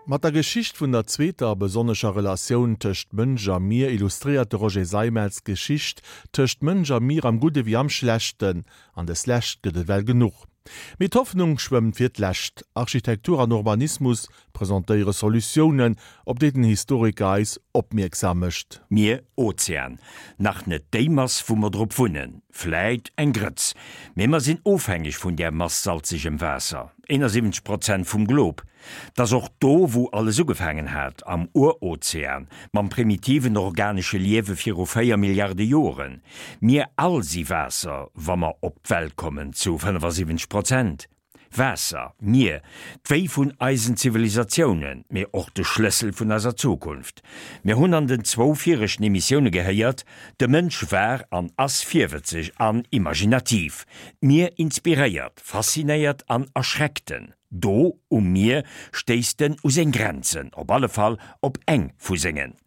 Mat der Geschicht vun der zweeter a besonnescher Relatioun tëscht Mënsch a Mier illustréiert de Roger Seimetz d'Geschicht tëscht Mënsch a Mier am Gudde wéi am Schlechten. An des Lescht gëtt et well genuch. Mee d'Hoffnung schwëmmt fir d'Lescht. Architektur an Urbanismus presentéiere Solutiounen, op déi den Historiker eis opmierksam mécht. Mier, Ozean, nach net déi Mass wou mer drop wunnen, vläit eng Grëtz, mee mer sinn ofhängeg vun där Mass salzegem Waasser, 71 Prozent vum Glob. T'ass och do wou alles ugefaangen hat, am Urozean, mam primitiven organesche Liewe viru 4 Milliarde Joren. Mir all si Waasser, wa mer op d'Welt kommen, zu 75 Prozent. Waasser, Mier, d'Wéi vun eisen Zivilisatiounen, mee och de Schlëssel vun eiser Zukunft. Mir hunn an den zwou viregten Emissioune gehéiert, de Mënsch war an ass virwëtzeg an imaginativ. D'Mier inspiréiert, faszinéiert an erschreckt en. Do, um Mier, stéisst en u seng Grenzen, op alle Fall op eng vu sengen.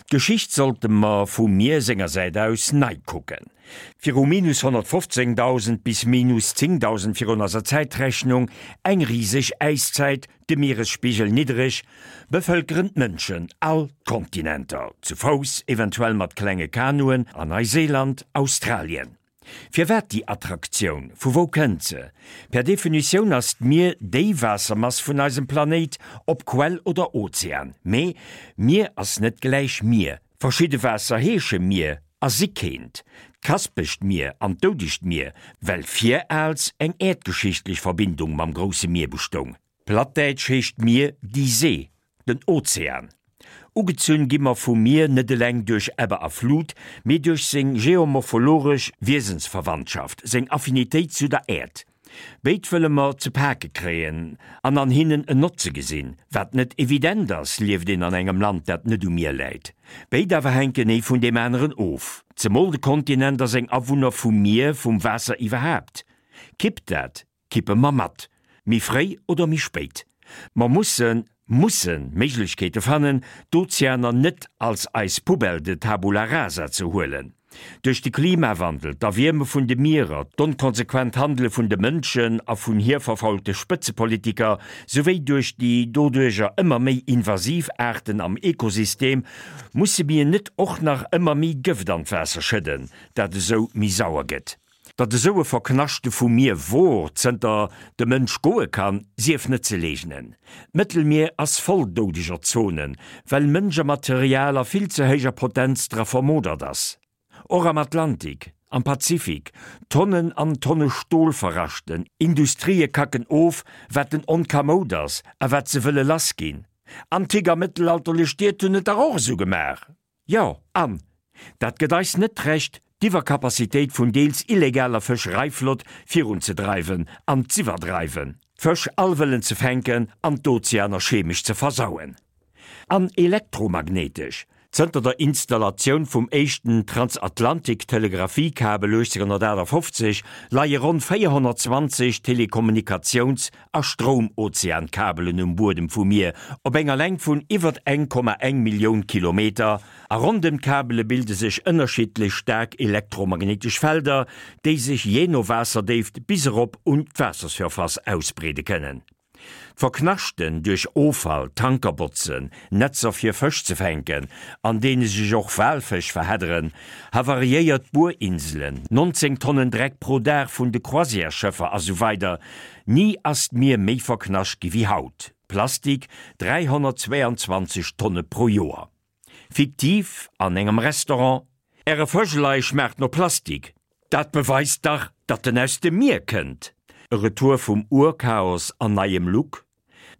D'Geschicht sollte mer vu Mier senger Säit aus nei kucken. Viru minus 115.000 bis minus 10.000 virun eiser Zäitrechnung, eng riseg Äiszäit, de Mieresspigel niddereg, bevëlkeren d'Mënschen all d'Kontinenter, zu Fouss, eventuell mat klenge Kanuen, a Neiseeland, Australien. Firwat déi Attraktioun? Vu wou kënnt se? Per Definitioun ass d'Mier déi Waassermass vun eisem Planéit, ob Quell oder Ozean. Mee Mier ass net gläich Mier. Verschidde Waasser heesche Mier a si keent. D'Kaspescht Mier an d'Doudegt Mier, well viraals eng äerdgeschichtlech Verbindung mam grousse Mier bestoung. Plattdäitsch heescht Mier die See, den Ozean. Ugezunn gi mer vum Mier net eleng duerch Ebbe a Flut, mee duerch seng geomorphologesch Wiesensverwandtschaft, seng Affinitéit zu der Äerd. Béid wëlle mer ze pake kréien an an hinnen en Notze gesinn, wat net evident ass, lieft een an engem Land, dat net um Mier läit. Béid awer hänken ee vun deem aneren of, zemol de Kontinent a seng Awunner vum Mier, vum Waasser iwwerhaapt. Kippt dat, kippe mer mat, méi fréi oder méi spéit. Mer mussen, mussen Méiglechkeete fannen, d'Ozeaner net als eis Poubelle de tabula rasa ze huelen. Duerch de Klimawandel, d'Erwierme vun de Mierer, d'onkonsequent Handele vun de Mënschen a vun hir verfaulte Spëtzepolitiker, souwéi duerch déi doduercher ëmmer méi invasiv Aarten am Ekosystem, musse mir net och nach ëmmer méi Gëft an d'Waasser schëdden, dat esou méi sauer gëtt. Datt esou e Verknaschte vum Mier wor, zënter de Mënsch goe kann, sief net ze leegnen. D'Mëttelmier ass voll doudeger Zonen, well Mënsch a Material a vill ze héijer Potenz dra vermodert ass. Och am Atlantik, am Pazifik, Tonnen an Tonne Stol verraschten, Industrië kacken of, wat den Onkamoud ass a wat se wëlle lassginn. Antik a mëttelalterlech Stied hunn et dach och esou gemaach. Jo, an dat gëtt eis net d'Recht, d'Iwwercapacitéit vun deels illegaler Fëschereiflott virunzedreiwen an z'iwwerdreiwen, d'Fësch all wëllen ze fänken an d'Ozeaner chemesch ze versauen. An elektromagnéitesch, zënter der Installatioun vum éischten Transatlantik-Telegraphiekabel 1858 leie ronn 420 Telekommunikatiouns a Stroumozeankabelen um Buedem vum Mier op enger Längt vun iwwert 1,1 Millioun Kilometer, a rondëm d'Kabele bilde sech ënnerschiddlech staark elektromagnéitesch Felder, déi sech jee no Waasserdéift bis erop un d'Waassersurface ausbreede kënnen. D'Verknaschten duerch Offall, Tankerbotzen, Netzer fir Fësch ze fänken, an deene sech och Walfësch verhedderen, havariéiert Buerinselen, 19 Tonnen Dreck pro Dag vun de Croisièresschëffer a sou weider Ni ass d'Mier méi verknascht gi wéi haut, Plastik, 322 Tonne pro Joer. Fiktiv, an engem Restaurant, Äre Fëschelei schmaacht no Plastik, dat beweist dach, datt en aus dem Mier kënnt! E Retour vum Urchaos an neiem Look,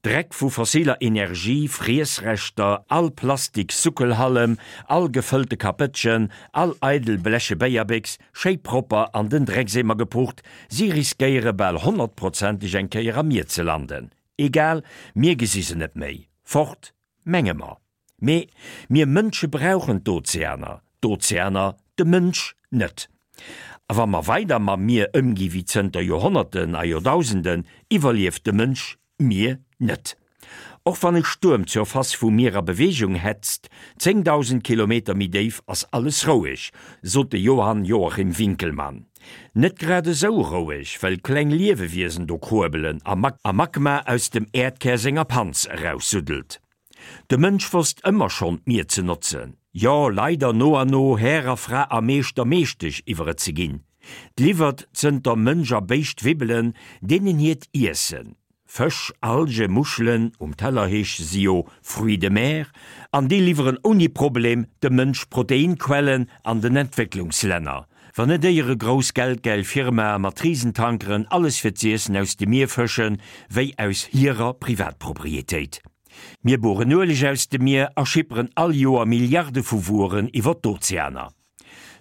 Dreck vu fossiler Energie, Friessreschter, all Plastik-Suckelhallem, all gefëllte Kapëttchen, all eidel bleche Béierbéchs, schéi propper an den Dreckseemer gepucht, si riskéiere bal honnertprozenteg eng Kéier am Mier ze landen. Egal, mir gesi se net méi. Fort, menge mer. Mee mir Mënsche brauchen d'Ozeaner, d'Ozeaner de Mënsch net. A wa mer weider mam Mier ëmgi wéi zënter Joerhonnerten a Joerdausenden, iwwerlieft de Mënsch d'Mier net. Och wann e Stuerm d'Surface vum Mier a Beweegung hetzt, 10.000 Kilometer méi déif ass alles roueg, sot de Johann Joachim Winckelmann. Net grad esou roueg, well kleng Liewewiesen do kruebelen a Magma aus dem Äerdkär senger Panz eraussuddelt. De Mënsch wosst ëmmer schonn d'Mier ze notzen, jo leider no an no Här a Fra a Meeschter Meeschtesch iwwer et ze ginn. 't liwwert zënter Mënsch a Béischt wibbelen deenen hiert Iessen, Fësch, Alge, Muschelen, um Teller heesche se jo Fruits de mer, an déi liwweren ouni Problem dem Mënsch Proteinquellen an den Entwécklungslänner. Wann net éiere grouss geldgeil Firmae mat Risentankeren alles fir z'iessen aus dem Mier fëschen, wéi aus hirer Privatproprietéit. Mir bueren Ueleg aus dem Mier a schipperen all Joer Milliarde vu Wueren iwwer d'Ozeaner.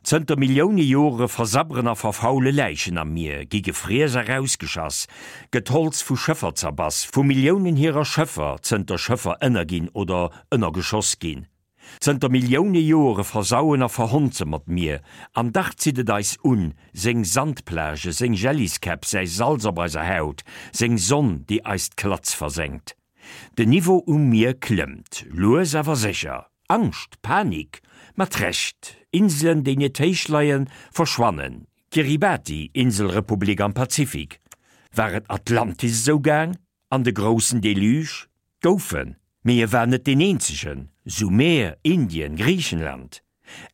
Zënter Millioune Jore versabberen a verfaule Läichen am Mier, gi gefriess a rausgeschass, gëtt Holz vu Schëffer zerbass, vu Milliounen hirer Schëffer, zënter Schëffer ënnerginn oder ënnergeschoss ginn. Zënter Millioune Jore versauen a verhonze mer d'Mier, an dach zitt et eis un, seng Sandplage, seng Jelliskäpp, säi Salz op eiser Haut, seng Sonn, déi eis d'Klatz versenkt. Den Niveau um Mier klëmmt, lues awer sécher. Angscht, Panik, mat Recht. Inselen, déi net héich leien, verschwannen. Kiribati, Inselrepublik am Pazifik. War et Atlantis esou gaang? An de groussen Deluge? Gouf en, mee e war net deen eenzegen. Sumer, Indien, Griichenland.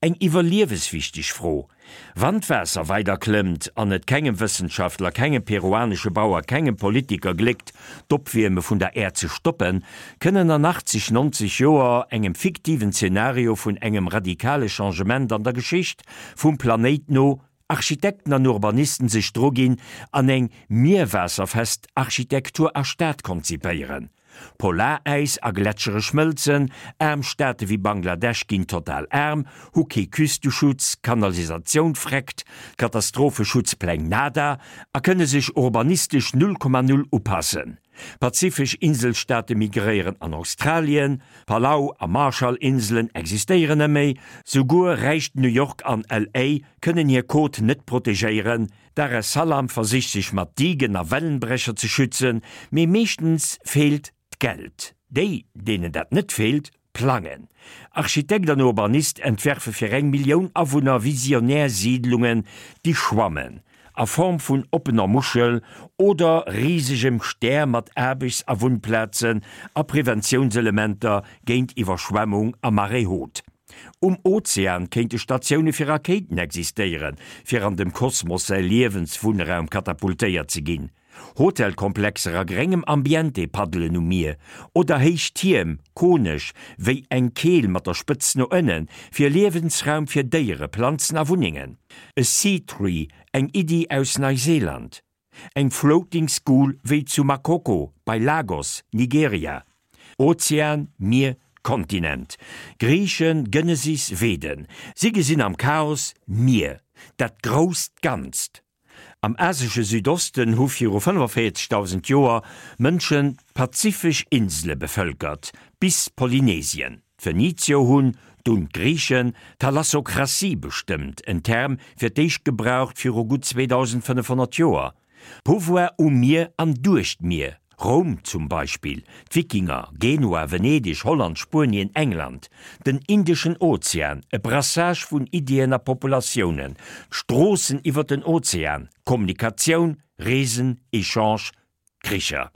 Eng iwwerlieweswichteg Fro. Wann d'Waasser weider klëmmt an et kengem Wëssenschaftler, kengem peruanesche Bauer, kengem Politiker gléckt, d'Opwierme vun der Äerd ze stoppen, kënnen an 80, 90 Joer, engem fiktiven Zenario vun engem radikale Changement an der Geschicht vum Planéit no, Architekten an Urbanisten sech dru ginn an eng mierwaasserfest Architektur a Stad konzipéieren. Polaräis a Gletschere schmëlzen, aarm Staate wéi Bangladesch ginn total aarm, hu kee Küsteschutz, Kanalisatioun freckt, Katastropheschutzpläng nada a kënne sech urbanistesch null Komma null upassen. Pazifesch Inselstaate migréieren an Australien, Palau a Marshall-Inselen existéieren net méi, souguer räicht New York an LA kënnen hir Côte net protegéieren, Dar es Salaam versicht sech mat Digen a Wellenbrecher ze schützen, mee meeschtens feelt d'Geld. Déi, deenen dat net feelt, plangen. Architekt an Urbanist entwerfe fir eng Millioun Awunner visionär Siidlungen, déi schwammen, a Form vun oppener Muschel oder risegem Stär mat Aarbechts a Wunnplazen a Preventiounselementer géint Iwwerschwemmung a Marée haute. Um Ozean kéinte Statioune fir Rakéiten existéieren, fir an dem Kosmos säi Liewenswunnraum katapultéiert ze ginn. Hotelkomplexer a gréngem Ambiente paddelen um Mier, oder héich Tierm, konesch wéi eng Keel mat der Spëtz no ënnen, fir Liewensraum fir Déiere, Planzen a Wunnengen. E Sea Tree, eng Iddi aus Neuseeland. Eng Floating School wéi zu Makoko bei Lagos, Nigeria. Ozean, Mier, Kontinent. Griichen, Genesis, Veden. Si gesinn am Chaos Mier, dat grousst Ganzt. Am asesche Südosten hu viru 45.000 Joer Mënschen d'pazifesch Insele bevëlkert, bis Polynesien. D'Phönizier hunn, dunn d'Griichen, d'Thalassokratie bestëmmt, en Term fir d'éischt gebraucht viru gutt 2500 Joer. Pouvoir um Mier an duerch d'Mier, Roum zum Beispill, d'Wikinger, Genua, Venedeg, Holland, Spuenien, England, den Indeschen Ozean, e Brassage vun Iddien a Populatiounen, d'Stroossen iwwer den Ozean, Kommunikatioun, Reesen, Echange, Kricher.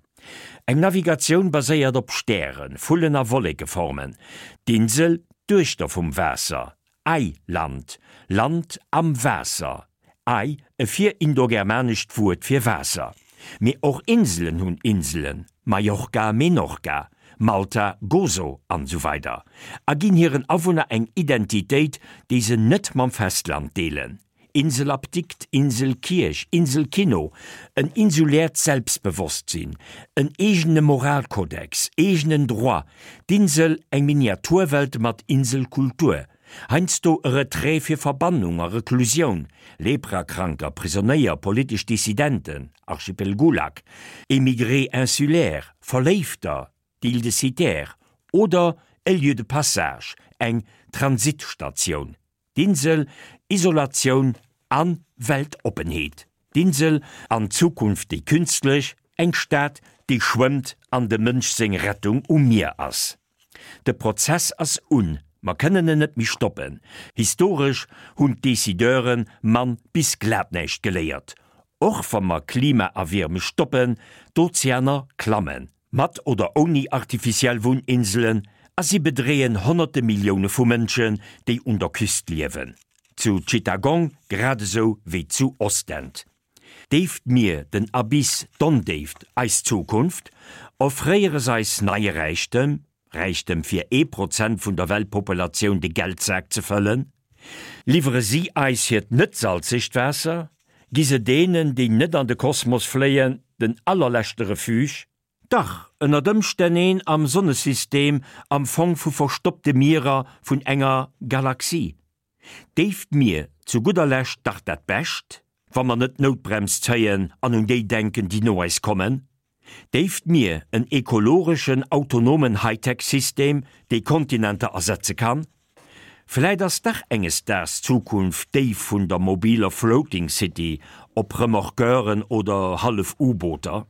Eng Navigatioun baséiert op Stären, Vullen a Wollekeformen, d'Insel, d'Duechter vum Waasser, Ei, Land, Land am Waasser, Ei, e virindogermanescht Wuert fir Waasser. Mee och Inselen hunn Inselen, Mallorca, Menorca, Malta, Gozo an esou weider a ginn hiren Awunner eng Identitéit, déi se net mam Festland deelen. Inselapdikt, Inselkierch, Inselkino, en insuläert Selbstbewosstsinn, en eegene Moralkodex, eegenen Droit, d'Insel eng Miniaturwelt mat Inselkultur, heiansdo e Retrait fir Verbannung a Reklusioun, Leprakranker, Prisonéier, politesch Dissidenten, Archipel Gulag, Émigrés insulaires, Verléifter, d'Île de Cythère, oder e Lieu de passage, eng Transitstatioun. D'Insel, Isolatioun an Weltoppenheet. D'Insel, an Zukunft déi künstlech, eng Stad, déi schwëmmt an dem Mënsch seng Rettung um Mier ass. De Prozess ass un, mer kënnen en net méi stoppen. Historesch hunn d'Decideure mann bis glat näischt geléiert. Och wa mer Klimaerwierme stoppen, d'Ozeaner klammen, mat oder ouni artificiell Wunninselen, a si bedreeën honnerte Millioune vu Mënschen, déi un der Küst liewen, zu Chittagong grad esou wéi zu Ostend. Déift Mier, den Abyss, d'Ondéift, eis Zukunft? Offréiere s'eis neie Räichtem, Räichtem fir ee Prozent vun der Weltpopulatioun de Geldsak ze fëllen? Liwwere si eis hiert net salzegt Waasser? Gi se deenen, déi net an de Kosmos fléien, den allerleschte Refuge? Dach, ënnert Ëmstänn een am Sonnesystem, am Fong vu verstoppte Mierer vun enger Galaxie. Déift Mier zu gudder Lescht dach dat Bescht, wa mer net d'Noutbrems zéien an un déi denken, déi no eis kommen? Déift Mier en ekologeschen, autonomen Hightech-System, dee Kontinenter ersetze kann? Vläit ass dach enges Daags d'Zukunft déi vun der mobiler Floating City op Remorqueuren oder hallef U-Booter?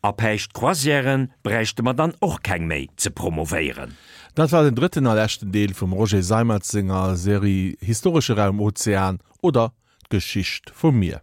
A päischt Croisièren bräichte mer dann och keng méi ze promovéieren. Dat war den drëtten a leschten Deel vum Roger Seimetz senger Serie Historesche Raum Ozean oder d'Geschicht vum Mier.